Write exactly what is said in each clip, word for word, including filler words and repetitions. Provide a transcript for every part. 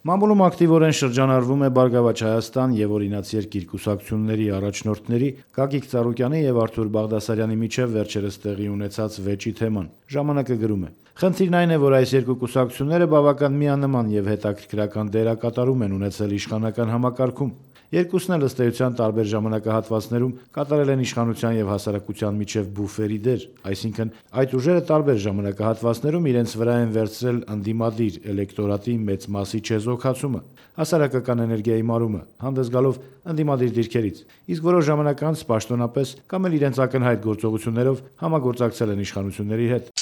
Մամուլում ակտիվորեն շրջանառվում է «Բարգավաճ Հայաստան» եւ «Օրինաց երկիր» կուսակցությունների առաջնորդների Գագիկ Ծառուկյանի եւ Արթուր Բաղդասարյանի միջեւ վերջերս տեղի ունեցած վեճի թեման։ Ժամանակը գրում է. Խնդիրն այն է, որ այս երկու կուսակցությունները բավական միանման եւ հետաքրքրական դերակատարում են ունեցել իշխանական համակարգում։ Երկուսն էլ ըստ էության տարբեր ժամանակահատվածներում կատարել են իշխանության եւ հասարակության միջեւ բուֆերի դեր, այսինքն այդ ուժերը տարբեր ժամանակահատվածներում իրենց վրա են վերցրել ընդդիմադիր էլեկտորատի մեծ մասի չեզոքացումը, հասարակական էներգիայի մարումը, հանդես գալով ընդդիմադիր դիրքերից, իսկ որոշ ժամանակ անց պաշտոնապես կամ էլ իրենց ակնհայտ գործողություններով համագործակցել են իշխանությունների հետ։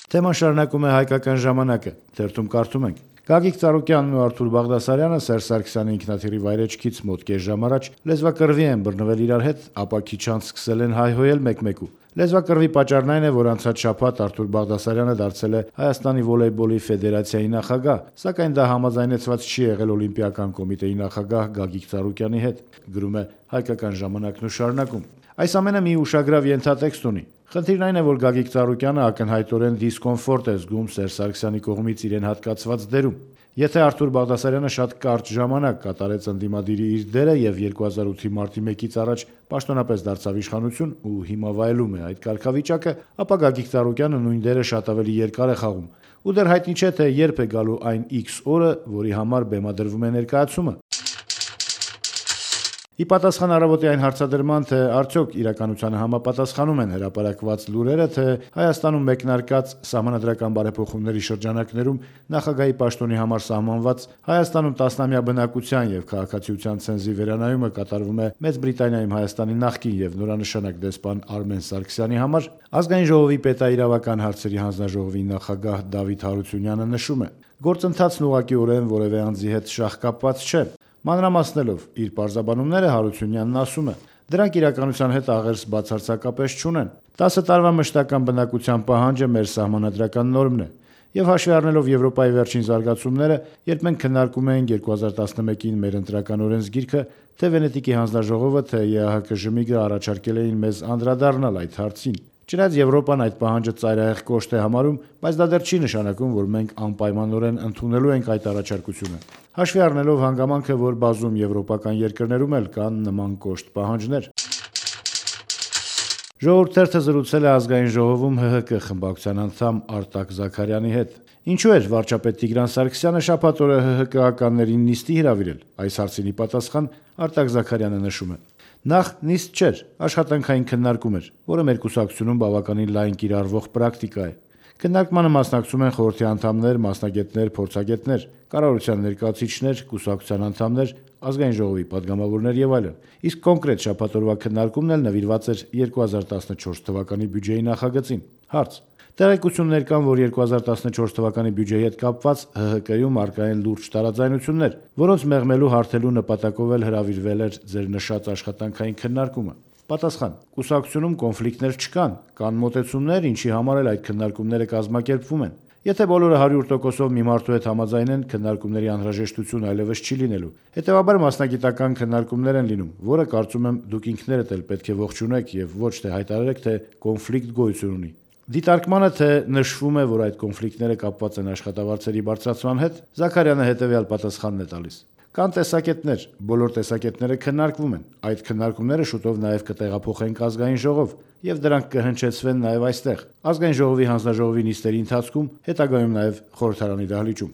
Թեման շարունակում է Հայկական ժամանակը, թերթում կարդում ենք. Գագիկ Ծառուկյանն ու Արթուր Բաղդասարյանը Սերժ Սարգսյանի ինքնաթիռի վայրէջքից մոտ կես ժամ առաջ լեզվակռվի են բռնվել իրար հետ, ապա քիչ անց սկսել են հայհոյել մեկ-մեկու։ Լեզվակռվի պատճառն այն է, որ անցած շաբաթ Արթուր Բաղդասարյանը դարձել է Հայաստանի վոլեյբոլի ֆեդերացիայի նախագահ, սակայն դա համաձայնեցված չի եղել Օլիմպիական կոմիտեի նախագահ Գագիկ Ծառուկյանի հետ, գրում է Հայկական ժամանակն ու շարունակում. Այս ամենը մի ուշագրավ ենթատեքստ ունի։ Խնդիրն այն է, որ Գագիկ Ծառուկյանը ակնհայտորեն դիսկոմֆորտ է զգում Սերժ Սարգսյանի կողմից իրեն հատկացված դերում։ Եթե Արթուր Բաղդասարյանը շատ կարճ ժամանակ կատարեց ընդդիմադիրի իր դերը եւ երկու հազար ութի մարտի մեկից առաջ պաշտոնապես դարձավ իշխանություն ու հիմա վայելում է այդ կարգավիճակը, ապա Գագիկ Ծառուկյանը նույն դերը շատ ավելի երկար է խաղում։ Ու դեռ հայտնի չէ, թե երբ է գալու այն X օրը, որի համար բեմադրվում է ներկայացումը։ Ի պատասխան Առավոտի այն հարցադրման, թե արդյոք իրականությանը համապատասխանում են հրապարակված լուրերը, թե Հայաստանում մեկնարկած սահմանադրական բարեփոխումների շրջանակներում նախագահի պաշտոնի համար սահմանված Հայաստանում տասնամյա բնակության եւ քաղաքացիության ցենզի վերանայումը կատարվում է Մեծ Բրիտանիայում Հայաստանի նախկին եւ նորանշանակ դեսպան Արմեն Սարգսյանի համար, Ազգային ժողովի պետաիրավական հարցերի հանձնաժողովի նախագահ Դավիթ Հարությունյանը նշում է. գործընթացն ուղղակիորեն որևէ անձի հետ շահկապված չէ։ Մանրամասնելով իր պարզաբանումները Հարությունյանն ասում է. դրանք իրականության հետ աղերս բացարձակապես չունեն։ տասը տարվա մշտական բնակության պահանջը մեր սահմանադրական նորմն է։ Եվ հաշվի առնելով Եվրոպայի վերջին զարգացումները, երբ մենք քննարկում էինք երկու հազար տասնմեկին մեր ընտրական օրենսգիրքը, թե Վենետիկի հանձնաժողովը, թե ԵԱՀԿ-ԺՄԻԳ-ը առաջարկել էին մեզ անդրադառնալ այդ հարցին։ Չնայած Եվրոպան այդ պահանջը ծայրահեղ կոշտ է համարում, բայց դա դեռ չի նշանակում, որ մենք անպայմանորեն ընդունելու ենք այդ առաջարկությունը։ Հաշվի առնելով հանգամանքը, որ բազում եվրոպական երկրներում էլ կան նման կոշտ պահանջներ։ Ժողովուրդ թերթը զրուցել է Ազգային ժողովում ՀՀԿ խմբակցության անդամ Արտակ Զաքարյանի հետ։ Ինչու էր վարչապետ Տիգրան Սարգսյանը շաբաթ օրը ՀՀԿ-ականներին նիստի հրավիրել։ Այս հարցին ի պատասխան Արտակ Զաքարյանը նշում է. Նախ նիստ չէր, աշխատանքային քննարկում էր, որը մեր կուսակցությունում բավականին լայն կիրառվող պրակտիկա է։ Քննարկմանը մասնակցում են խորհրդի անդամներ, մասնագետներ, փորձագետներ, կառավարության ներկայացուցիչներ, կուսակցության անդամներ, Ազգային ժողովի падգամավորներ եւ այլն։ Իսկ կոնկրետ շաբաթ օրվա քննարկումն էլ նվիրված էր երկու հազար տասնչորս թվականի բյուջեի նախագծին։ Հարց. Տեղեկություններ կան, որ երկու հազար տասնչորս թվականի բյուջեի հետ կապված ՀՀԿ-ում առկա են լուրջ տարաձայնություններ, որոնց մեղմելու հարթելու նպատակով էլ հրավիրվել էր ձեր նշած աշխատանքային քննարկումը։ Պատասխան. կուսակցությունում կոնֆլիկտներ չկան, կան մոտեցումներ, ինչի համար էլ այդ քննարկումները կազմակերպվում են։ Եթե բոլորը հարյուր տոկոսով մի մարդու հետ համաձայնեն, քննարկումների անհրաժեշտություն այլևս չի լինելու։ Հետևաբար մասնագիտական քննարկումներ են լինում, որը կարծում եմ դուք ինքներդ էլ պետք է ողջունեք եւ ոչ թե հայտարարեք, թե կոնֆլիկտ գոյություն ունի։ Դիտարկմանը, թե նշվում է, որ այդ կոնֆլիկտները կապված են աշխատավարձերի բարձրացման հետ, Զաքարյանը հետևյալ պատասխանն է տալիս. Կան տեսակետներ, բոլոր տեսակետները քննարկվում են։ Այդ քննարկումները շուտով նաև կտեղափոխենք Ազգային ժողով եւ դրանք կհնչեցվեն նաև այստեղ։ Ազգային ժողովի հանձնաժողովի նիստերի ընթացքում, հետագայում նաև խորհրդարանի դահլիճում։